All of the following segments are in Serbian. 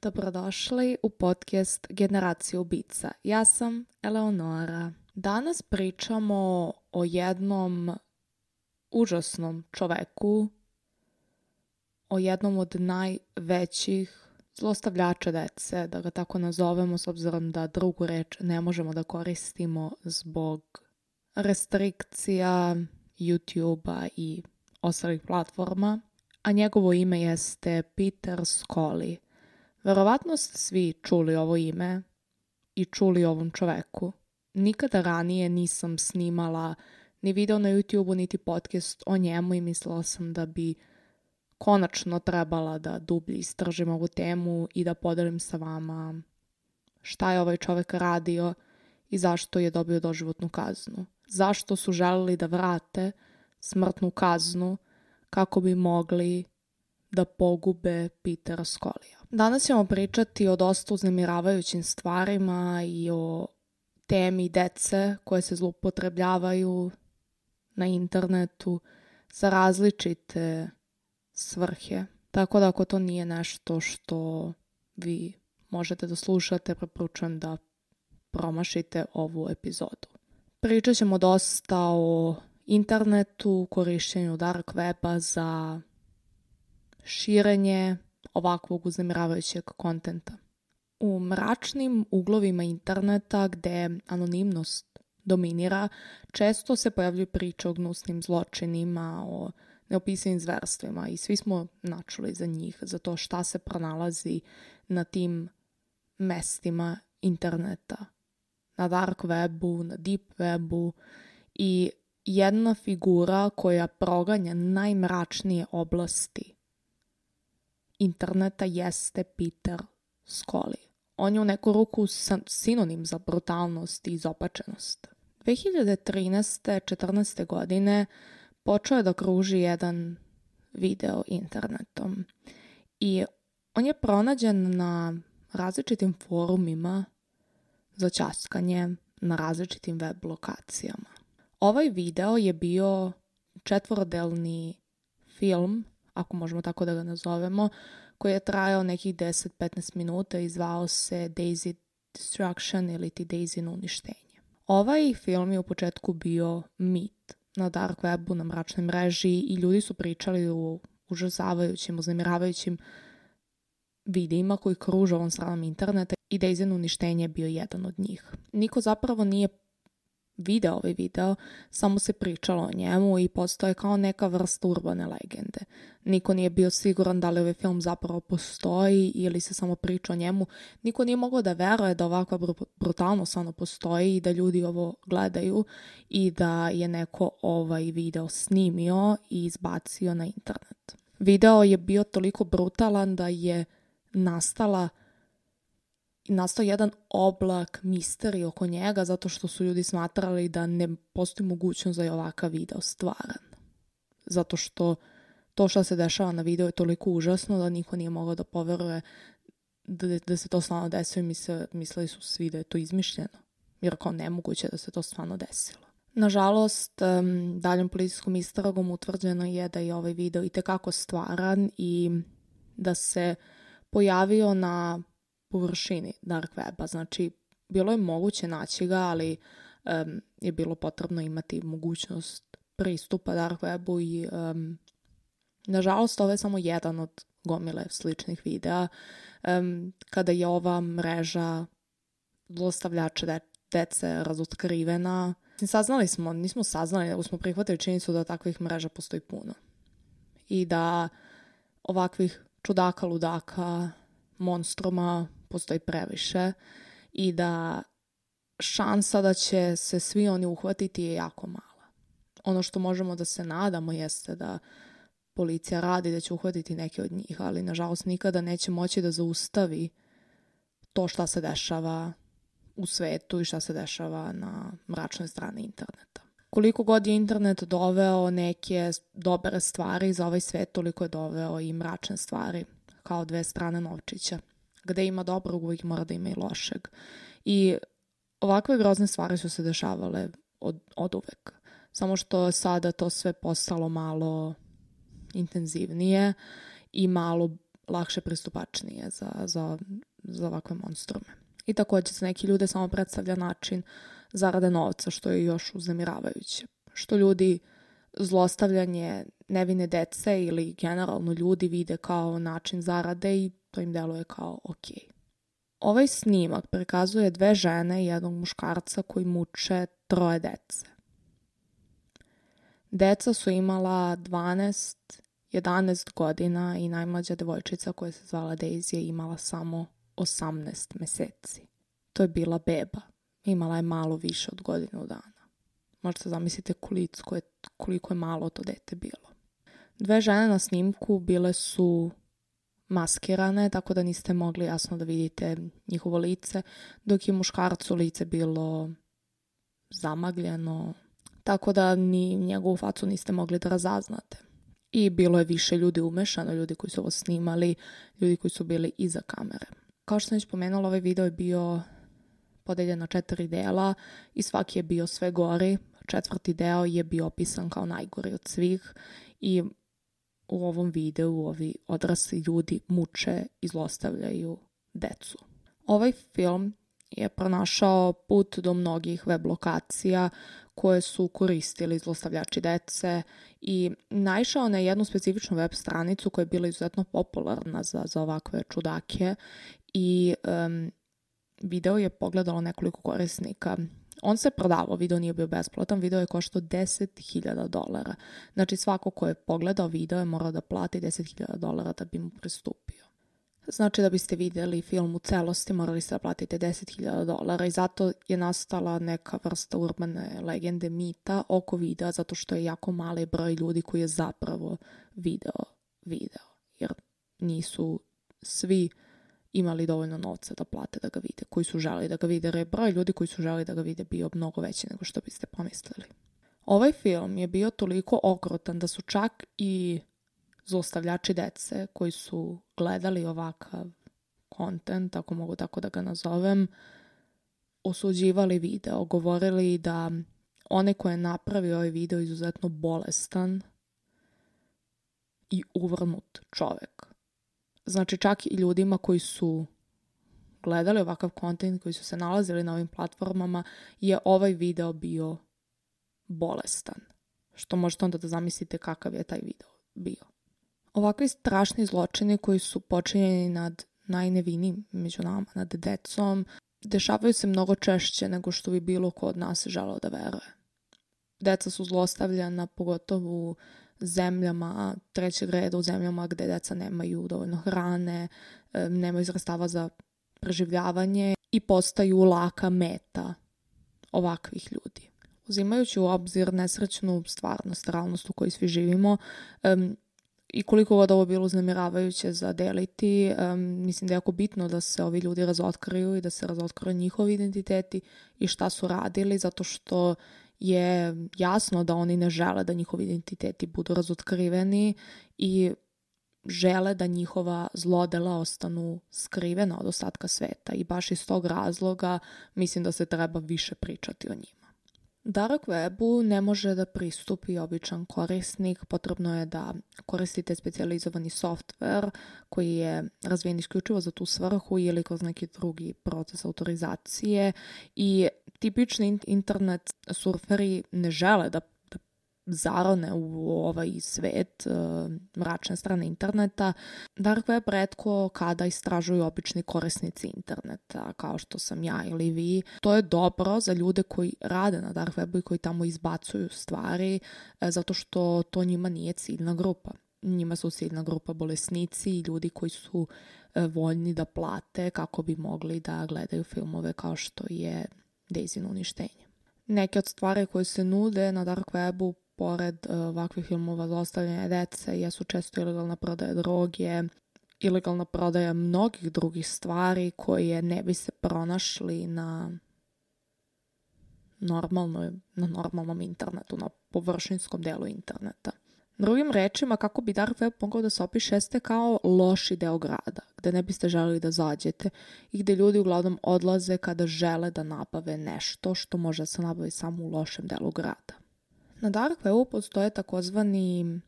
Dobrodošli u podcast Generacija ubica. Ja sam Eleonora. Danas pričamo o jednom užasnom čoveku, o jednom od najvećih zlostavljača dece, da ga tako nazovemo, s obzirom da drugu reč ne možemo da koristimo zbog restrikcija YouTube-a i ostalih platforma, a njegovo ime jeste Peter Scolli. Verovatno ste svi čuli ovo ime i čuli o ovom čoveku. Nikada ranije nisam snimala ni video na YouTube-u, niti podcast o njemu i mislila sam da bi konačno trebala da dublje istražim ovu temu i da podelim sa vama šta je ovaj čovek radio i zašto je dobio doživotnu kaznu. Zašto su želeli da vrate smrtnu kaznu kako bi mogli da pogube Petera Scollija. Danas ćemo pričati o dosta uznemiravajućim stvarima i o temi dece koje se zloupotrebljavaju na internetu za različite svrhe. Tako da ako to nije nešto što vi možete da slušate, preporučujem da promašite ovu epizodu. Pričat ćemo dosta o internetu, korišćenju dark weba za širenje ovakvog uznemiravajućeg kontenta. U mračnim uglovima interneta gde anonimnost dominira, često se pojavljuju priče o gnusnim zločinima, o neopisivim zverstvima i svi smo načuli za njih, za to šta se pronalazi na tim mestima interneta, na dark webu, na deep webu i jedna figura koja proganja najmračnije oblasti interneta jeste Peter Scolli. On je u neku ruku sinonim za brutalnost i izopačenost. 2013. 14. godine počeo je da kruži jedan video internetom i on je pronađen na različitim forumima za ćaskanje, na različitim web lokacijama. Ovaj video je bio četvorodelni film, ako možemo tako da ga nazovemo, koji je trajao nekih 10-15 minuta i zvao se Daisy Destruction ili ti Daisy uništenje. Ovaj film je u početku bio mit na dark webu, na mračnoj mreži i ljudi su pričali o užasavajućim, uznemiravajućim videima koji kruže ovom stranom interneta i Daisy uništenje je bio jedan od njih. Niko zapravo nije video ovaj video, samo se pričalo o njemu i postoje kao neka vrsta urbane legende. Niko nije bio siguran da li ovaj film zapravo postoji ili se samo priča o njemu. Niko nije mogao da veruje da ovakva brutalnost stvarno postoji i da ljudi ovo gledaju i da je neko ovaj video snimio i izbacio na internet. Video je bio toliko brutalan da je nastao jedan oblak misterije oko njega zato što su ljudi smatrali da ne postoji mogućnost da je ovakav video stvaran. Zato što to što se dešava na videu je toliko užasno da niko nije mogao da poveruje da se to stvarno desilo i mislili su svi da je to izmišljeno. Jer kao nemoguće da se to stvarno desilo. Nažalost, daljom policijskom istragom utvrđeno je da je ovaj video itekako stvaran i da se pojavio na površini dark weba. Znači, bilo je moguće naći ga, ali je bilo potrebno imati mogućnost pristupa dark webu i nažalost ovo je samo jedan od gomile sličnih videa kada je ova mreža zlostavljača dece razotkrivena. Nismo saznali, nego smo prihvatili činjenicu da takvih mreža postoji puno. I da ovakvih čudaka, ludaka, monstruma postoji previše i da šansa da će se svi oni uhvatiti je jako mala. Ono što možemo da se nadamo jeste da policija radi da će uhvatiti neke od njih, ali nažalost nikada neće moći da zaustavi to šta se dešava u svetu i šta se dešava na mračnoj strani interneta. Koliko god je internet doveo neke dobre stvari za ovaj svet, toliko je doveo i mračne stvari, kao dve strane novčića. Gde ima dobrog, uvijek mora da ima i lošeg. I ovakve grozne stvari su se dešavale od uvek. Samo što sada to sve postalo malo intenzivnije i malo lakše pristupačnije za ovakve monstrume. I također se neki ljude samo predstavlja način zarade novca, što je još uznemiravajuće. Što ljudi zlostavljanje nevine dece ili generalno ljudi vide kao način zarade i to im deluje kao ok. Ovaj snimak prikazuje 2 žene i jednog muškarca koji muče 3 dece. Deca su imala 12, 11 godina i najmlađa devojčica koja se zvala Daisy je imala samo 18 meseci. To je bila beba. Imala je malo više od godinu dana. Možete zamislite koliko je malo to dete bilo. 2 žene na snimku bile su maskirane, tako da niste mogli jasno da vidite njihovo lice, dok je muškarcu lice bilo zamagljeno, tako da ni njegovu facu niste mogli da razaznate. I bilo je više ljudi umešano, ljudi koji su ovo snimali, ljudi koji su bili iza kamere. Kao što sam već pomenula, ovaj video je bio podeljen na 4 dela i svaki je bio sve gori. 4. deo je bio opisan kao najgori od svih i u ovom videu ovi odrasli ljudi muče i zlostavljaju decu. Ovaj film je pronašao put do mnogih web lokacija koje su koristili zlostavljači dece i naišao na jednu specifičnu web stranicu koja je bila izuzetno popularna za ovakve čudake i video je pogledalo nekoliko korisnika. On se prodavao, video nije bio besplatan, video je koštao $10,000. Znači svako ko je pogledao video je morao da plati $10,000 da bi mu pristupio. Znači da biste vidjeli film u celosti morali ste da platite $10,000 i zato je nastala neka vrsta urbane legende, mita oko videa, zato što je jako mali broj ljudi koji je zapravo video. Jer nisu svi imali dovoljno novca da plate da ga vide, koji su želi da ga vide, jer je broj ljudi koji su želi da ga vide bio mnogo veći nego što biste pomislili. Ovaj film je bio toliko okrutan da su čak i zlostavljači dece koji su gledali ovakav kontent, ako mogu tako da ga nazovem, osuđivali video, govorili da onaj ko je napravio ovaj video je izuzetno bolestan i uvrnut čovek. Znači čak i ljudima koji su gledali ovakav kontent, koji su se nalazili na ovim platformama, je ovaj video bio bolestan. Što možete onda da zamislite kakav je taj video bio. Ovakvi strašni zločini koji su počinjeni nad najnevinijim među nama, nad decom, dešavaju se mnogo češće nego što bi bilo ko od nas želeo da veruje. Deca su zlostavljana pogotovo u zemljama trećeg reda, u zemljama gde deca nemaju dovoljno hrane, nemaju sredstava za preživljavanje i postaju laka meta ovakvih ljudi. Uzimajući u obzir nesrećnu stvarnost, realnost u kojoj svi živimo, i koliko god ovo bilo uznemiravajuće za deliti, mislim da je jako bitno da se ovi ljudi razotkriju i da se razotkriju njihovi identiteti i šta su radili, zato što je jasno da oni ne žele da njihovi identiteti budu razotkriveni i žele da njihova zlodela ostanu skrivena od ostatka sveta i baš iz tog razloga mislim da se treba više pričati o njima. Dark webu ne može da pristupi običan korisnik, potrebno je da koristite specijalizovani software koji je razvijen isključivo za tu svrhu ili kroz neki drugi proces autorizacije i tipični internet surferi ne žele da zarone u ovaj svet mračne strane interneta. Dark web retko kada istražuju obični korisnici interneta, kao što sam ja ili vi. To je dobro za ljude koji rade na dark webu i koji tamo izbacuju stvari, zato što to njima nije ciljna grupa. Njima su ciljna grupa bolesnici i ljudi koji su voljni da plate kako bi mogli da gledaju filmove kao što je Daisy uništenje. Neke od stvari koje se nude na dark webu pored ovakvih filmova zlostavljanja dece jesu često ilegalna prodaja droge, ilegalna prodaja mnogih drugih stvari koje ne bi se pronašli na normalnom internetu, na površinskom delu interneta. Drugim rečima, kako bi dark web mogao da se opiše, jeste kao loši deo grada, gde ne biste želeli da zađete i gde ljudi uglavnom odlaze kada žele da nabave nešto što može da se nabavi samo u lošem delu grada. Na dark webu postoje takozvani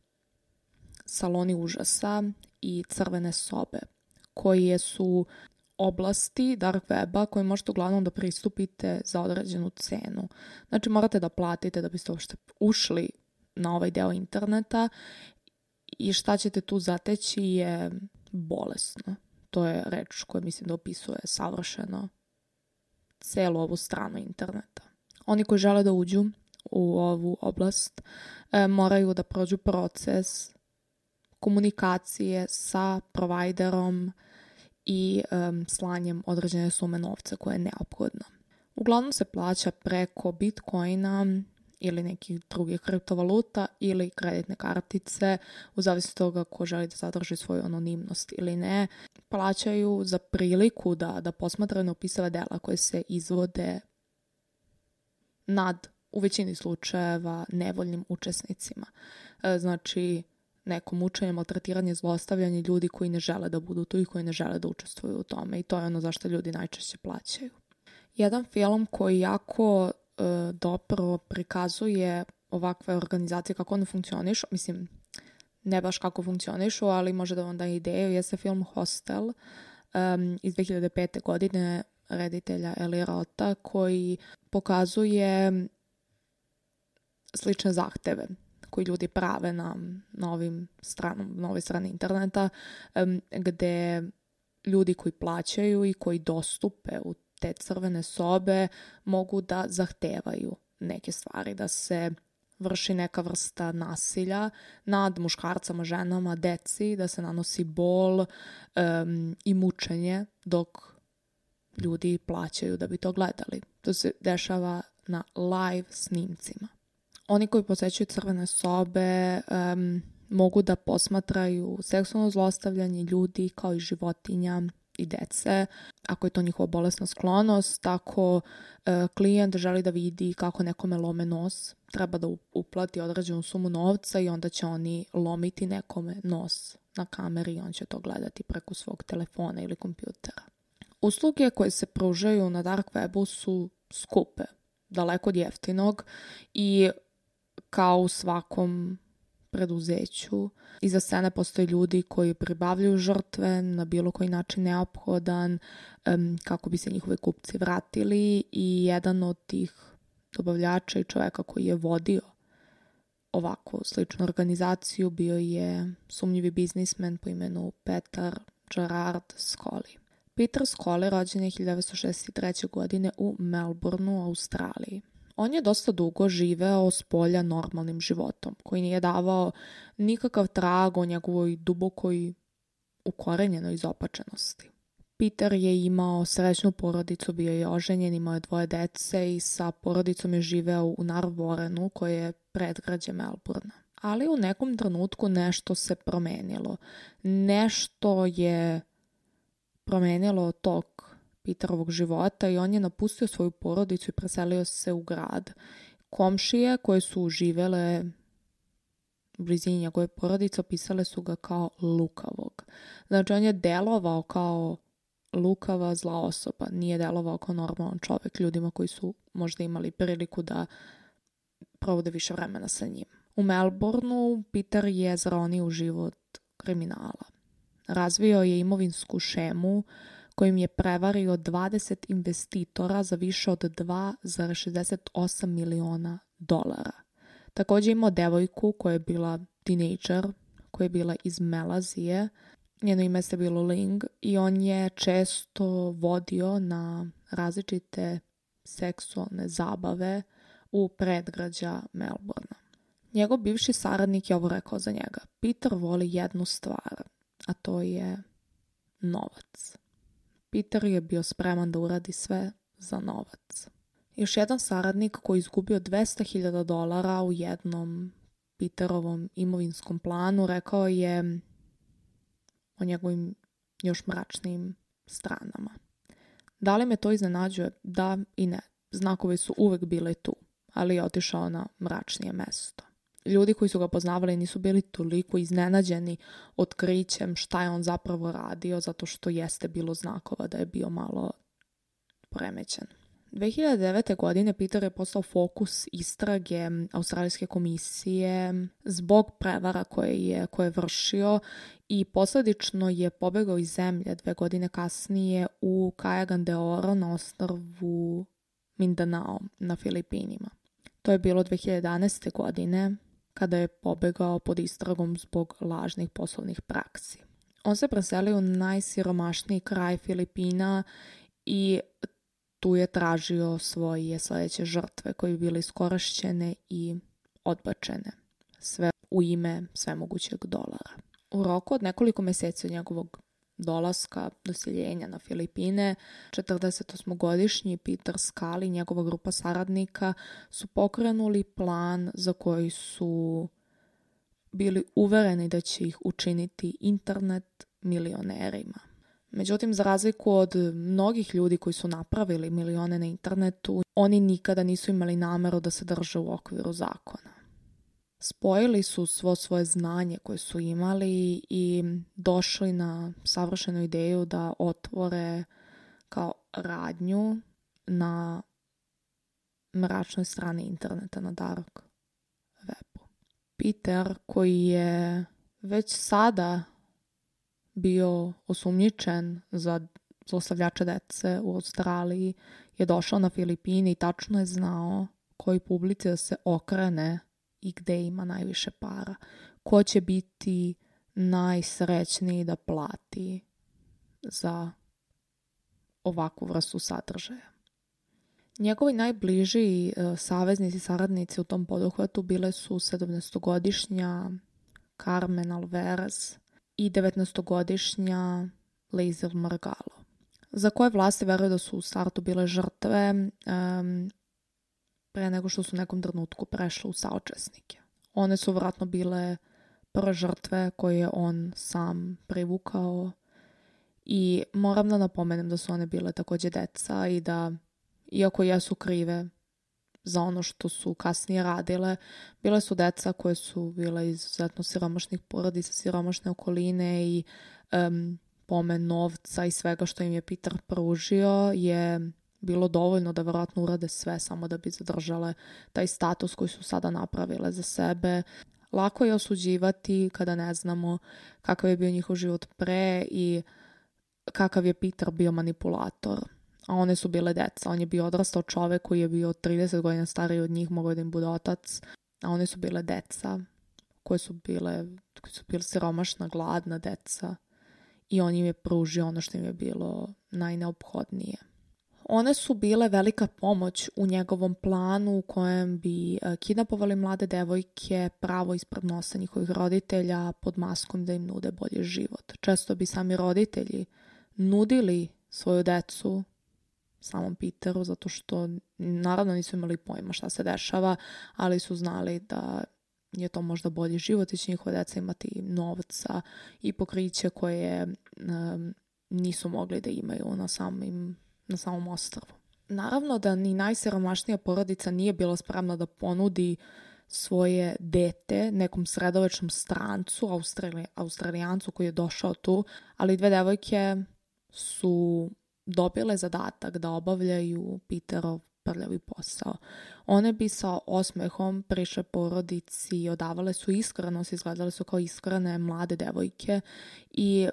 saloni užasa i crvene sobe, koje su oblasti dark weba koje možete uglavnom da pristupite za određenu cenu. Znači morate da platite da biste uopšte ušli na ovaj deo interneta i šta ćete tu zateći je bolesno. To je reč koja mislim da opisuje savršeno celu ovu stranu interneta. Oni koji žele da uđu u ovu oblast moraju da prođu proces komunikacije sa providerom i slanjem određene sume novca koje je neophodno. Uglavnom se plaća preko Bitcoina ili nekih drugih kriptovaluta ili kreditne kartice, u zavisnosti toga ko želi da zadrži svoju anonimnost ili ne. Plaćaju za priliku da posmatraju neopisava dela koje se izvode nad, u većini slučajeva, nevoljnim učesnicima. Znači, neko mučenje, maltretiranje, zlostavljanje ljudi koji ne žele da budu tu i koji ne žele da učestvuju u tome. I to je ono zašto ljudi najčešće plaćaju. Jedan film koji jako dobro prikazuje ovakve organizacije kako one funkcionišu, mislim, ne baš kako funkcionišu, ali može da vam da ideju, jeste film Hostel iz 2005. godine reditelja Eli Rota, koji pokazuje slične zahteve koji ljudi prave na ovoj strani interneta, gde ljudi koji plaćaju i koji dostupe u te crvene sobe mogu da zahtevaju neke stvari, da se vrši neka vrsta nasilja nad muškarcama, ženama, deci, da se nanosi bol i mučenje dok ljudi plaćaju da bi to gledali. To se dešava na live snimcima. Oni koji posećuju crvene sobe mogu da posmatraju seksualno zlostavljanje ljudi kao i životinja i dece. Ako je to njihova bolesna sklonost, ako klijent želi da vidi kako nekome lome nos, treba da uplati određenu sumu novca i onda će oni lomiti nekome nos na kameri i on će to gledati preko svog telefona ili kompjutera. Usluge koje se pružaju na dark webu su skupe, daleko od jeftinog i kao u svakom preduzeću. Iza scene postoje ljudi koji pribavljaju žrtve na bilo koji način neophodan kako bi se njihovi kupci vratili i jedan od tih dobavljača i čoveka koji je vodio ovako sličnu organizaciju bio je sumnjivi biznismen po imenu Peter Gerard Scully. Peter Scully rođen je 1963. godine u Melbourneu, Australiji. On je dosta dugo živeo s polja normalnim životom, koji nije davao nikakav trag o njegovoj dubokoj ukorenjenoj izopačenosti. Peter je imao srećnu porodicu, bio je oženjen, imao je 2 dece i sa porodicom je živeo u Narvorenu, koje je predgrađe Melbournea. Ali u nekom trenutku nešto se promenilo. Nešto je promenilo tok Peterovog života i on je napustio svoju porodicu i preselio se u grad. Komšije koje su živele u blizini njegove porodice opisale su ga kao lukavog. Znači on je delovao kao lukava zla osoba, nije delovao kao normalan čovjek ljudima koji su možda imali priliku da provode više vremena sa njim. U Melbourneu Peter je zaronio u život kriminala. Razvio je imovinsku šemu kojim je prevario 20 investitora za više od $2,68 miliona. Također imao devojku koja je bila tinejdžer, koja je bila iz Malezije. Njeno ime se bilo Ling i on je često vodio na različite seksualne zabave u predgrađa Melbournea. Njegov bivši saradnik je ovo rekao za njega. Peter voli jednu stvar, a to je novac. Peter je bio spreman da uradi sve za novac. Još jedan saradnik koji je izgubio $200,000 u jednom Peterovom imovinskom planu rekao je o njegovim još mračnim stranama. Da li me to iznenađuje? Da i ne. Znakovi su uvek bile tu, ali je otišao na mračnije mesto. Ljudi koji su ga poznavali nisu bili toliko iznenađeni otkrićem šta je on zapravo radio, zato što jeste bilo znakova da je bio malo poremećen. 2009. godine Peter je postao fokus istrage Australijske komisije zbog prevara koje je vršio i posljedično je pobegao iz zemlje 2 godine kasnije u Cagayan de Oro na ostrvu Mindanao na Filipinima. To je bilo 2011. godine kada je pobegao pod istragom zbog lažnih poslovnih praksi. On se preselio u najsiromašniji kraj Filipina i tu je tražio svoje sljedeće žrtve koje bi bile iskorišćene i odbačene. Sve u ime svemogućeg dolara. U roku od nekoliko mjeseci od njegovog dolaska, doseljenja na Filipine, 48-godišnji Peter Scully i njegova grupa saradnika su pokrenuli plan za koji su bili uvereni da će ih učiniti internet milionerima. Međutim, za razliku od mnogih ljudi koji su napravili milione na internetu, oni nikada nisu imali nameru da se drže u okviru zakona. Spojili su svo svoje znanje koje su imali i došli na savršenu ideju da otvore kao radnju na mračnoj strani interneta, na dark webu. Peter, koji je već sada bio osumnjičen za zlostavljača dece u Australiji, je došao na Filipine i tačno je znao koji publici da se okrene i gde ima najviše para. Ko će biti najsrećniji da plati za ovakvu vrstu sadržaja. Njegovi najbliži saveznici i saradnici u tom poduhvatu bile su 17-godišnja Carmen Alvarez i 19-godišnja Liesl Margalo, za koje vlasti veruju da su u startu bile žrtve pre nego što su u nekom trenutku prešle u saučesnike. One su vjerojatno bile prve žrtve koje je on sam privukao i moram da napomenem da su one bile također deca i da, iako jesu krive za ono što su kasnije radile, bile su deca koje su bile izuzetno siromašnih porodica, siromašne okoline i pomen novca i svega što im je Peter pružio je bilo dovoljno da vjerojatno urade sve samo da bi zadržale taj status koji su sada napravile za sebe. Lako je osuđivati kada ne znamo kakav je bio njihov život pre i kakav je Peter bio manipulator. A one su bile deca. On je bio odrastao čovek koji je bio 30 godina stariji od njih, mogao da im bude otac. A one su bile deca koje su bile siromašna, gladna deca. I on im je pružio ono što im je bilo najneophodnije. One su bile velika pomoć u njegovom planu u kojem bi kidnapovali mlade devojke pravo ispred nosa njihovih roditelja pod maskom da im nude bolji život. Često bi sami roditelji nudili svoju decu samom Peteru zato što naravno nisu imali pojma šta se dešava, ali su znali da je to možda bolji život i će njihove deca imati novca i pokriće koje nisu mogli da imaju na samom ostrvu. Naravno da ni najsiromašnija porodica nije bila spremna da ponudi svoje dete nekom sredovečnom strancu, Australijancu koji je došao tu, ali 2 devojke su dobile zadatak da obavljaju Peterov prljavi posao. One bi sa osmehom prišle porodici i odavale su iskrenost, izgledale su kao iskrene mlade devojke i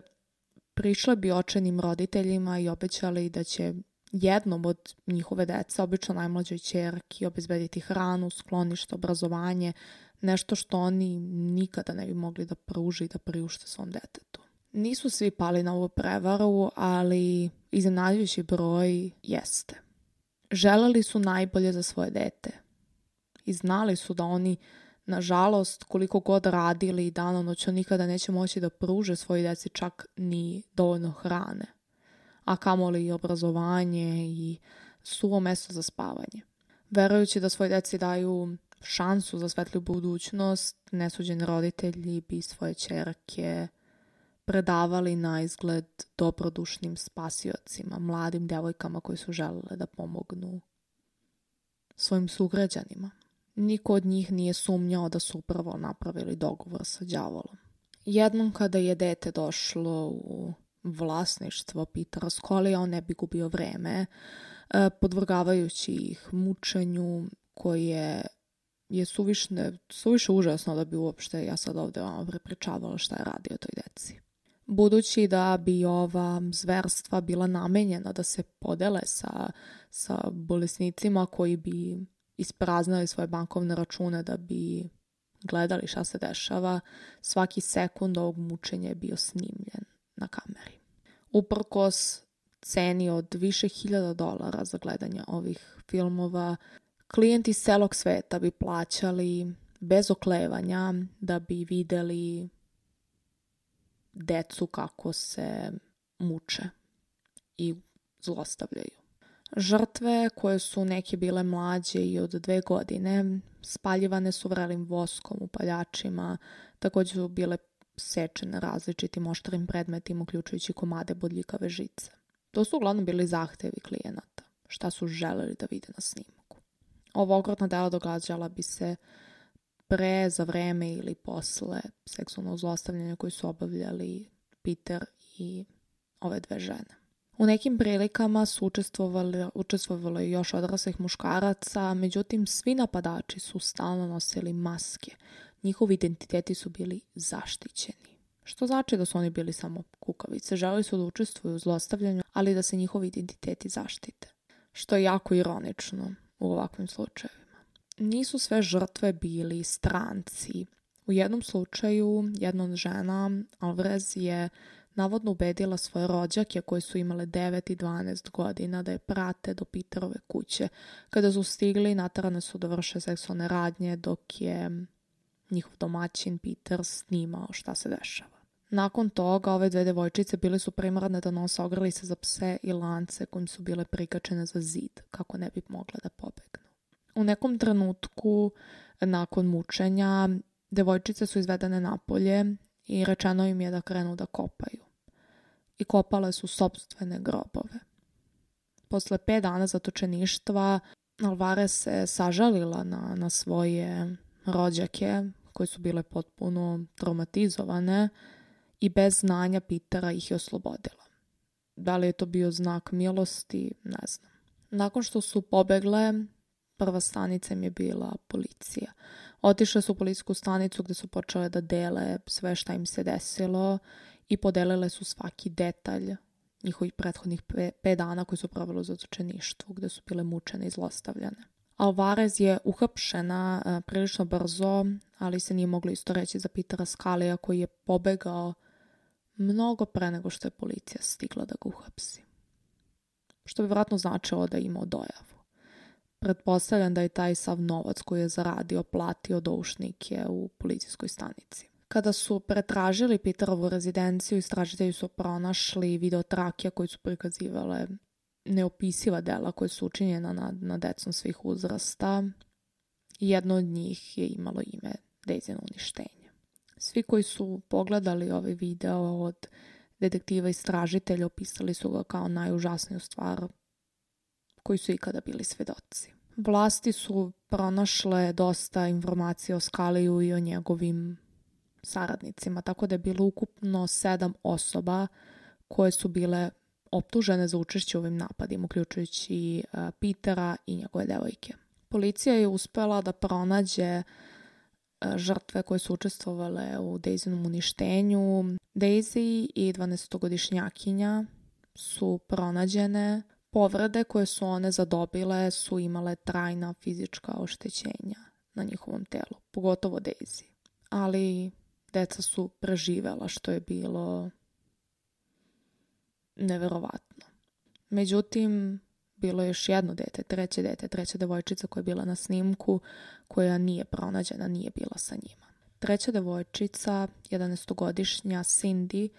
prišle bi očajnim roditeljima i obećali da će jednom od njihove dece, obično najmlađoj ćerki, obezbediti hranu, sklonište, obrazovanje, nešto što oni nikada ne bi mogli da pruže i da priušte svom detetu. Nisu svi pali na ovu prevaru, ali iznenađujući broj jeste. Želeli su najbolje za svoje dete i znali su da oni, nažalost, koliko god radili i danonoćno nikada neće moći da pruže svojoj deci čak ni dovoljno hrane, a kamoli i obrazovanje i suvo mesto za spavanje. Verujući da svoj deci daju šansu za svetliju budućnost, nesuđeni roditelji bi svoje ćerke predavali na izgled dobrodušnim spasiocima, mladim devojkama koji su želele da pomognu svojim sugrađanima. Niko od njih nije sumnjao da su upravo napravili dogovor sa đavolom. Jednom kada je dete došlo u vlasništvo Petera Scullyja, on ne bi gubio vreme. podvrgavajući ih mučenju koje je suviše užasno da bi uopšte ja sad ovde vama prepričavala šta je radio toj deci. Budući da bi ova zverstva bila namenjena da se podele sa bolesnicima koji bi ispraznili svoje bankovne račune da bi gledali šta se dešava, svaki sekund ovog mučenja je bio snimljen na kameri. Uprkos ceni od više $1000 za gledanje ovih filmova, klijenti iz celog sveta bi plaćali bez oklevanja da bi videli decu kako se muče i zlostavljaju. Žrtve, koje su neke bile mlađe i od 2 godine, spaljivane su vrelim voskom u paljačima, također su bile sečene različitim oštrim predmetima, uključujući komade bodljikave žice. To su uglavnom bili zahtevi klijenata, šta su želeli da vide na snimku. Ovo okrutna dela događala bi se pre, za vreme ili posle seksualnog zlostavljanja koji su obavljali Peter i ove 2 žene. U nekim prilikama su učestvovali još odraslih muškaraca, međutim svi napadači su stalno nosili maske. Njihovi identiteti su bili zaštićeni. Što znači da su oni bili samo kukavice. Želeli su da učestvuju u zlostavljanju, ali da se njihovi identiteti zaštite. Što je jako ironično u ovakvim slučajevima. Nisu sve žrtve bili stranci. U jednom slučaju jedna od žena, Alvarez, je navodno ubedila svoje rođake koje su imale 9 i 12 godina da je prate do Peterove kuće. Kada su stigli, naterane su da vrše seksualne radnje dok je njihov domaćin Peter snimao šta se dešava. Nakon toga ove 2 devojčice bile su primorane da nose ogrlice za pse i lance kojim su bile prikačene za zid kako ne bi mogle da pobegnu. U nekom trenutku nakon mučenja devojčice su izvedene napolje i rečeno im je da krenu da kopaju. I kopale su sopstvene grobove. Posle 5 dana zatočeništva Alvarez se sažalila na svoje rođake koje su bile potpuno traumatizovane i bez znanja Petera ih je oslobodila. Da li je to bio znak milosti, ne znam. Nakon što su pobegle, prva stanica im je bila policija. Otišle su u policijsku stanicu gde su počele da dele sve šta im se desilo i podelile su svaki detalj njihovih prethodnih 5 dana koji su proveli u zatočeništvu, gde su bile mučene i zlostavljane. Alvarez je uhapšena prilično brzo, ali se nije moglo isto reći za Petera Scalia koji je pobegao mnogo pre nego što je policija stigla da ga uhapsi. Što bi vjerojatno značilo da je imao dojavu. Pretpostavljam da je taj sav novac koji je zaradio platio doušnike u policijskoj stanici. Kada su pretražili Peterovu rezidenciju, istražitelji su pronašli videotrakije koji su prikazivale neopisiva dela koje su učinjena na decom svih uzrasta. Jedno od njih je imalo ime Daisy uništenje. Svi koji su pogledali ovaj video od detektiva istražitelja opisali su ga kao najužasniju stvar koji su ikada bili svedoci. Vlasti su pronašle dosta informacija o Scaliju i o njegovim saradnicima, tako da je bilo ukupno 7 osoba koje su bile optužene za učešće u ovim napadima, uključujući Petera i njegove devojke. Policija je uspela da pronađe žrtve koje su učestvovale u Daisynom uništenju. Daisy i 12-godišnjakinja su pronađene. Povrede koje su one zadobile su imale trajna fizička oštećenja na njihovom telu, pogotovo Daisy. Ali deca su preživela, što je bilo neverovatno. Međutim, bilo je još jedno dete, treća devojčica koja je bila na snimku, koja nije pronađena, nije bila sa njima. Treća devojčica, 11-godišnja Cindy,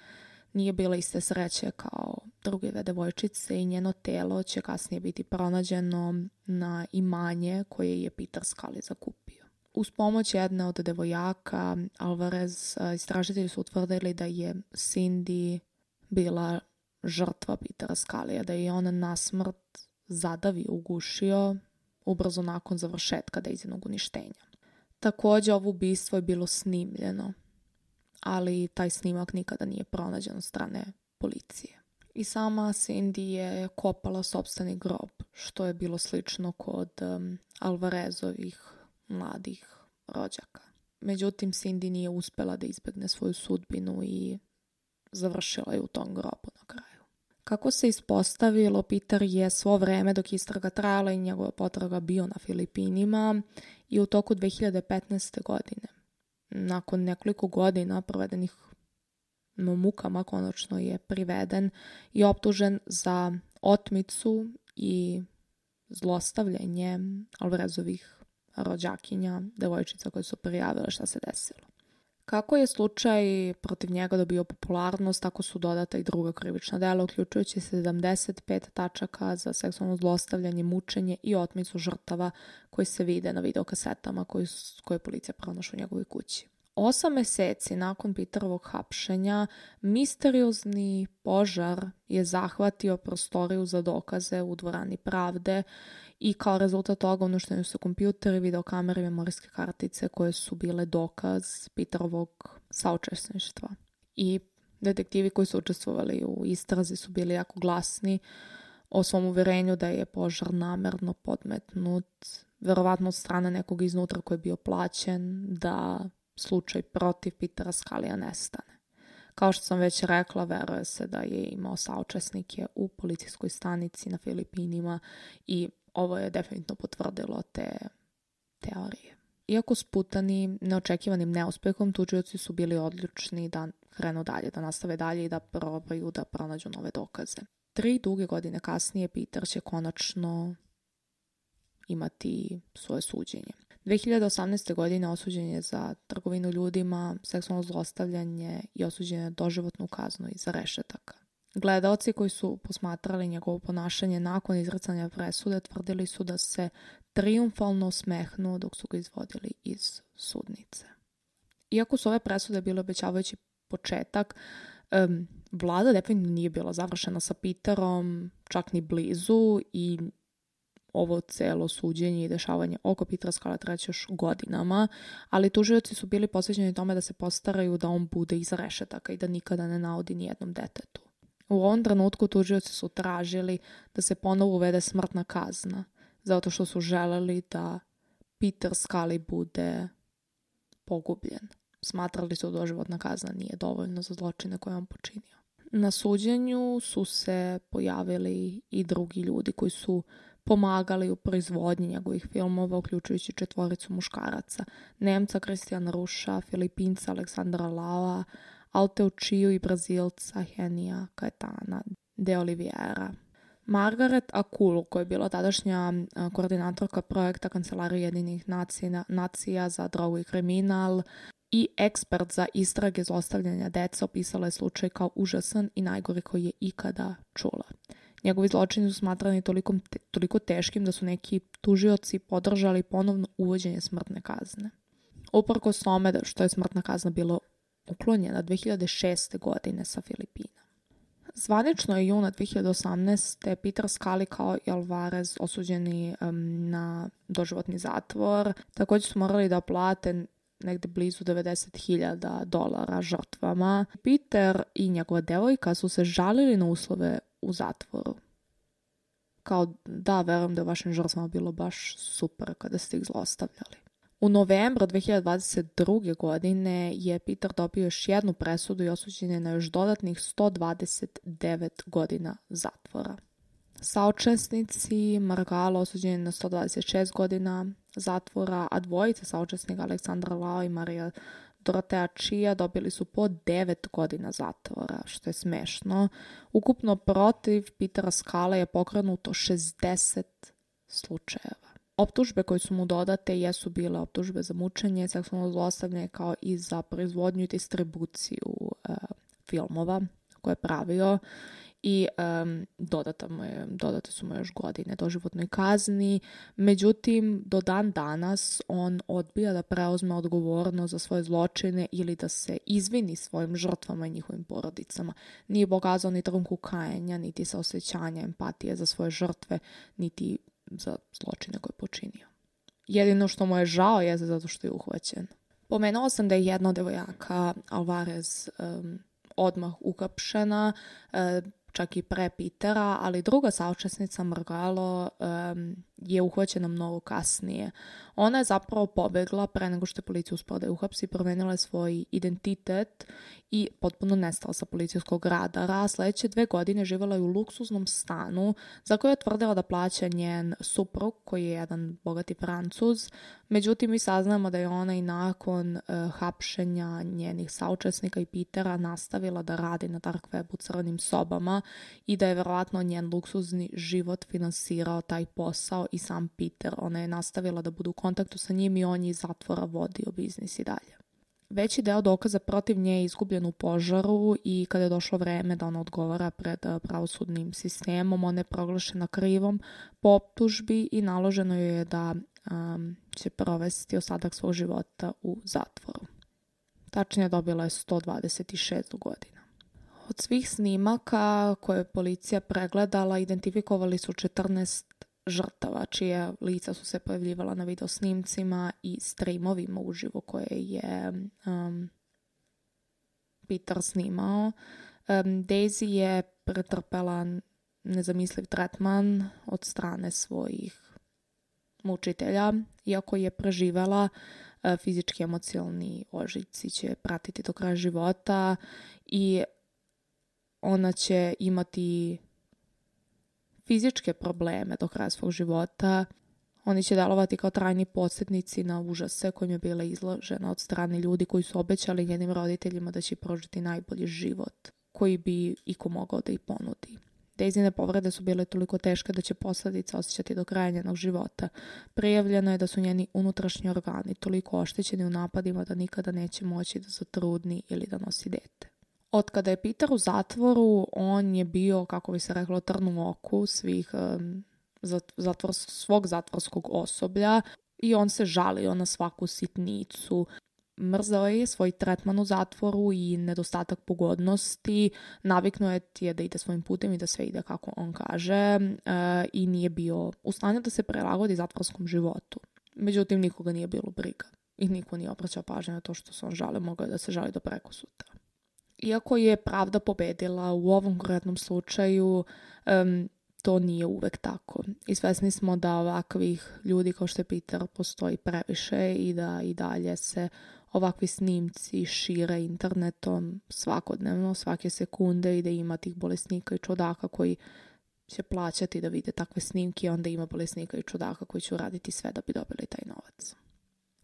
nije bila iste sreće kao druge 2 devojčice i njeno telo će kasnije biti pronađeno na imanje koje je Peter Scully zakupio. Uz pomoć jedne od devojaka, Alvarez, istražitelji su utvrdili da je Cindy bila žrtva Petera Scalija, da je on na smrt zadavio, ugušio ubrzo nakon završetka Daisynog uništenja. Također, ovo ubistvo je bilo snimljeno, ali taj snimak nikada nije pronađen od strane policije. I sama Cindy je kopala sopstveni grob, što je bilo slično kod Alvarezovih mladih rođaka. Međutim, Cindy nije uspela da izbegne svoju sudbinu i završila je u tom grobu na kraju. Kako se ispostavilo, Peter je svo vreme dok istraga trajala i njegova potraga bio na Filipinima i u toku 2015. godine. Nakon nekoliko godina provedenih mukama konačno je priveden i optužen za otmicu i zlostavljanje Alvarezovih rođakinja, devojčica koje su prijavile šta se desilo. Kako je slučaj protiv njega dobio popularnost, tako su dodata i druga krivična dela, uključujući 75 tačaka za seksualno zlostavljanje, mučenje i otmicu žrtava koji se vide na videokasetama koje policija pronašla u njegovoj kući. 8 meseci nakon Peterovog hapšenja, misteriozni požar je zahvatio prostoriju za dokaze u dvorani pravde i kao rezultat toga uništeni su kompjuteri, videokamere i memorijske kartice koje su bile dokaz Peterovog saučesništva. I detektivi koji su učestvovali u istrazi su bili jako glasni o svom uverenju da je požar namerno podmetnut, verovatno od strane nekog iznutra koji je bio plaćen da slučaj protiv Petera Scalia nestane. Kao što sam već rekla, veruje se da je imao saučesnike u policijskoj stanici na Filipinima i ovo je definitivno potvrdilo te teorije. Iako sputani neočekivanim neuspehom, tužioci su bili odlučni da krenu dalje, da nastave dalje i da probaju da pronađu nove dokaze. 3 duge godine kasnije Peter će konačno imati svoje suđenje. 2018. godine osuđen je za trgovinu ljudima, seksualno zlostavljanje i osuđen je doživotnu kaznu iza rešetaka. Gledaoci koji su posmatrali njegovo ponašanje nakon izricanja presude tvrdili su da se trijumfalno smehnuo dok su ga izvodili iz sudnice. Iako su ove presude bile obećavajući početak, vlada definitivno nije bila završena sa Peterom, čak ni blizu, i ovo celo suđenje i dešavanje oko Petera Scalia traće još godinama, ali tužioci su bili posvećeni tome da se postaraju da on bude iza rešetaka i da nikada ne naudi nijednom detetu. U ovom trenutku tužioci su tražili da se ponovo uvede smrtna kazna, zato što su želeli da Peter Scalia bude pogubljen. Smatrali su da doživotna kazna nije dovoljno za zločine koje on počinio. Na suđenju su se pojavili i drugi ljudi koji su pomagali u proizvodnji njegovih filmova, uključujući 4 muškaraca: Nemca Christiana Ruša, Filipinca Aleksandra Lau, Alteu Chiu i Brazilca Henija Caetana de Oliveira. Margaret Akul, koja je bila tadašnja koordinatorka projekta Kancelarije Ujedinjenih nacija za drogu i kriminal i ekspert za istrage zlostavljanja dece, opisala je slučaj kao užasan i najgori koji je ikada čula. Njegovi zločini su smatrani toliko teškim da su neki tužioci podržali ponovno uvođenje smrtne kazne. Uprkos tome što je smrtna kazna bila uklonjena 2006. godine sa Filipina. Zvanično je juna 2018. Peter Scalia kao i Alvarez osuđeni na doživotni zatvor. Također su morali da plate negde blizu $90,000 žrtvama. Peter i njegova devojka su se žalili na uslove u zatvoru. Kao da, verujem da je vašim žrtvama bilo baš super kada ste ih zlostavljali. U novembru 2022. godine je Peter dobio još jednu presudu i osuđen je na još dodatnih 129 godina zatvora. Saučesnici Margalo osuđeni na 126 godina zatvora, a dvojica saučesnika Aleksandra Lau i Marija Dorotea Chia dobili su po 9 godina zatvora, što je smešno. Ukupno protiv Petera Scalia je pokrenuto 60 slučajeva. Optužbe koje su mu dodate jesu bile optužbe za mučenje, seksualno zlostavljanje, kao i za proizvodnju i distribuciju filmova koje je pravio, i dodate su mu još godine doživotnoj kazni. Međutim, do dan danas on odbija da preuzme odgovornost za svoje zločine ili da se izvini svojim žrtvama i njihovim porodicama. Nije pokazao ni trunku kajanja, niti saosećanja, empatije za svoje žrtve, niti za zločine koje je počinio. Jedino što mu je žao je zato što je uhvaćen. Pomenuo sam da je jedna od devojaka, Alvarez, odmah uhapšena. čak i pre Petera, ali druga saučesnica Margallo je uhvaćena mnogo kasnije. Ona je zapravo pobegla pre nego što je policija uspela da je uhapsi, promenila je svoj identitet i potpuno nestala sa policijskog radara. Sledeće 2 godine živjela je u luksuznom stanu za koje je tvrdila da plaća njen suprug, koji je jedan bogati Francuz. Međutim, mi saznamo da je ona i nakon hapšenja njenih saučesnika i Petera nastavila da radi na dark webu crvenim sobama i da je verovatno njen luksuzni život finansirao taj posao i sam Peter. Ona je nastavila da bude u kontaktu sa njim i on je iz zatvora vodio biznis i dalje. Veći deo dokaza protiv nje je izgubljen u požaru i kada je došlo vreme da ona odgovara pred pravosudnim sistemom, ona je proglašena krivom po optužbi i naloženo joj je da će provesti ostatak svog života u zatvoru. Tačnije dobila je 126 godina. Od svih snimaka koje je policija pregledala, identifikovali su 14 žrtava, čije lica su se pojavljivala na video snimcima i streamovima uživo koje je Peter snimao. Daisy je pretrpela nezamisliv tretman od strane svojih mučitelja, iako je preživela. Fizički, emocionalni ožiljci će pratiti do kraja života i ona će imati fizičke probleme do kraja svog života. Oni će delovati kao trajni podsjetnici na užase kojim je bila izložena od strane ljudi koji su obećali njenim roditeljima da će prožiti najbolji život koji bi iko mogao da ih ponudi. Daisine povrede su bile toliko teške da će posledice osjećati do kraja njenog života. Prijavljeno je da su njeni unutrašnji organi toliko oštećeni u napadima da nikada neće moći da zatrudni ili da nosi dete. Od kada je Peter u zatvoru, on je bio, kako bi se reklo, trn u oku svog zatvorskog osoblja i on se žalio na svaku sitnicu. Mrzao je svoj tretman u zatvoru i nedostatak pogodnosti, naviknuo je da ide svojim putem i da sve ide kako on kaže i nije bio u stanju da se prilagodi zatvorskom životu. Međutim, nikoga nije bilo briga i niko nije obraćao pažnju na to što se on žali, mogao je da se žali do prekosutra. Iako je pravda pobedila u ovom konkretnom slučaju, to nije uvek tako. I svesni smo da ovakvih ljudi kao što je Peter postoji previše i da i dalje se ovakvi snimci šire internetom svakodnevno, svake sekunde i da ima tih bolesnika i čudaka koji će plaćati da vide takve snimke i onda ima bolesnika i čudaka koji će uraditi sve da bi dobili taj novac.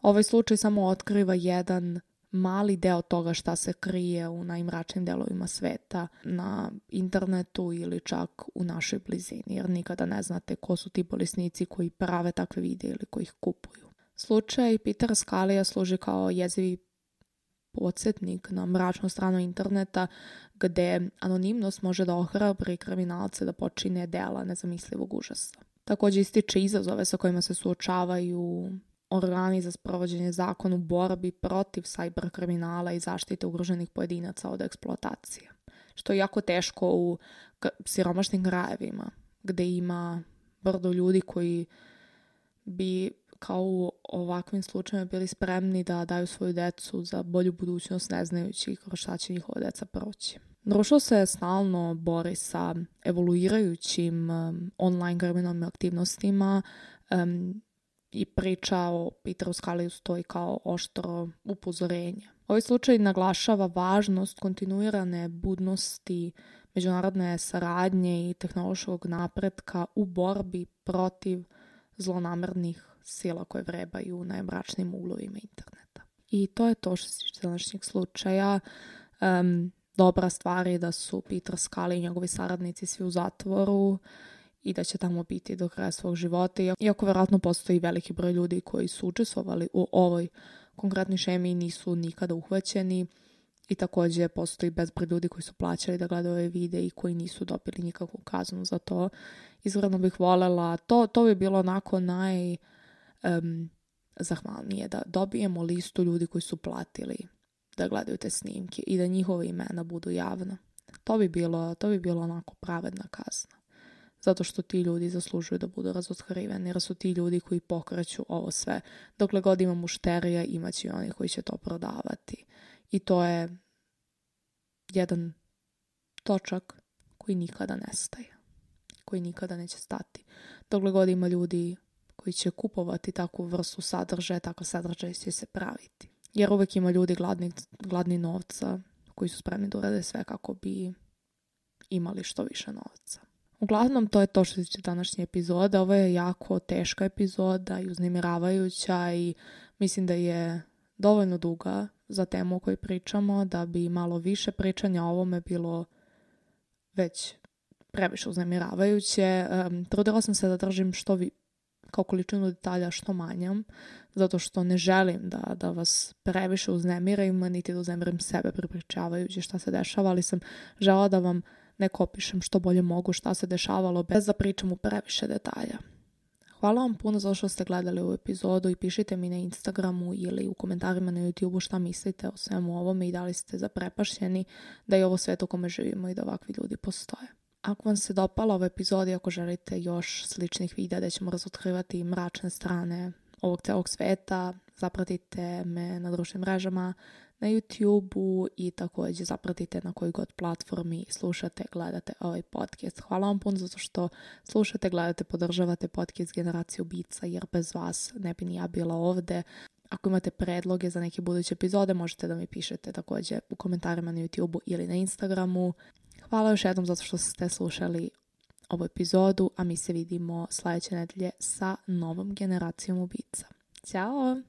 Ovaj slučaj samo otkriva jedan mali deo toga šta se krije u najmračnim delovima sveta na internetu ili čak u našoj blizini, jer nikada ne znate ko su ti bolesnici koji prave takve videe ili koji ih kupuju. Slučaj Petera Scalija služi kao jezivi podsjetnik na mračnu stranu interneta gde anonimnost može da ohrabri kriminalce da počine dela nezamislivog užasa. Također ističe izazove sa kojima se suočavaju organi za sprovođenje zakona u borbi protiv sajber kriminala i zaštite ugroženih pojedinaca od eksploatacije. Što je jako teško u siromašnim krajevima gde ima brdo ljudi koji bi kao u ovakvim slučajima bili spremni da daju svoju decu za bolju budućnost ne znajući kroz šta će njihova deca proći. Društvo se stalno bori sa evoluirajućim online kriminalnim aktivnostima i priča o Peteru Scaliju stoji kao oštro upozorenje. Ovaj slučaj naglašava važnost kontinuirane budnosti, međunarodne saradnje i tehnološkog napretka u borbi protiv zlonamernih sila koje vrebaju u najmračnijim uglovima interneta. I to je to što se tiče današnjeg slučaja. Dobra stvar je da su Peter Scalio i njegovi saradnici svi u zatvoru i da će tamo biti do kraja svog života. Iako vjerojatno postoji veliki broj ljudi koji su učestvovali u ovoj konkretnoj šemi i nisu nikada uhvaćeni. I također postoji bezbroj ljudi koji su plaćali da gledaju ove videe i koji nisu dobili nikakvu kaznu za to. Iskreno bih voljela, to bi bilo onako zahvalnije da dobijemo listu ljudi koji su platili da gledaju te snimke i da njihova imena budu javna. To bi bilo onako pravedna kazna. Zato što ti ljudi zaslužuju da budu razotkriveni, jer su ti ljudi koji pokreću ovo sve. Dokle god ima mušterija, imaće i oni koji će to prodavati. I to je jedan točak koji nikada nestaje, koji nikada neće stati. Dokle god ima ljudi koji će kupovati takvu vrstu sadržaja, takav sadržaj će se praviti. Jer uvek ima ljudi gladni novca koji su spremni da urade sve kako bi imali što više novca. Uglavnom, to je to što se tiče današnje epizode. Ovo je jako teška epizoda i uznemiravajuća i mislim da je dovoljno duga za temu o kojoj pričamo, da bi malo više pričanja o ovome bilo već previše uznemiravajuće. Trudila sam se da držim kao količinu detalja što manjam, zato što ne želim da vas previše uznemirim, niti da uznemirim sebe prepričavajući šta se dešava, ali sam žela da vam neko opišem što bolje mogu šta se dešavalo bez da pričam u previše detalja. Hvala vam puno za što ste gledali ovu epizodu i pišite mi na Instagramu ili u komentarima na YouTubeu šta mislite o svemu ovome i da li ste zaprepašćeni da je ovo svet u kome živimo i da ovakvi ljudi postoje. Ako vam se dopala ova epizoda i ako želite još sličnih videa da ćemo razotkrivati mračne strane ovog celog sveta, zapratite me na društvenim mrežama, na YouTubeu i također zapratite na kojoj god platformi slušate, gledate ovaj podcast. Hvala vam puno zato što slušate, gledate, podržavate podcast Generaciju Ubica, jer bez vas ne bi ni ja bila ovde. Ako imate predloge za neke buduće epizode, možete da mi pišete također u komentarima na YouTubeu ili na Instagramu. Hvala još jednom zato što ste slušali ovu epizodu, a mi se vidimo sljedeće nedelje sa novom Generacijom Ubica. Ćao!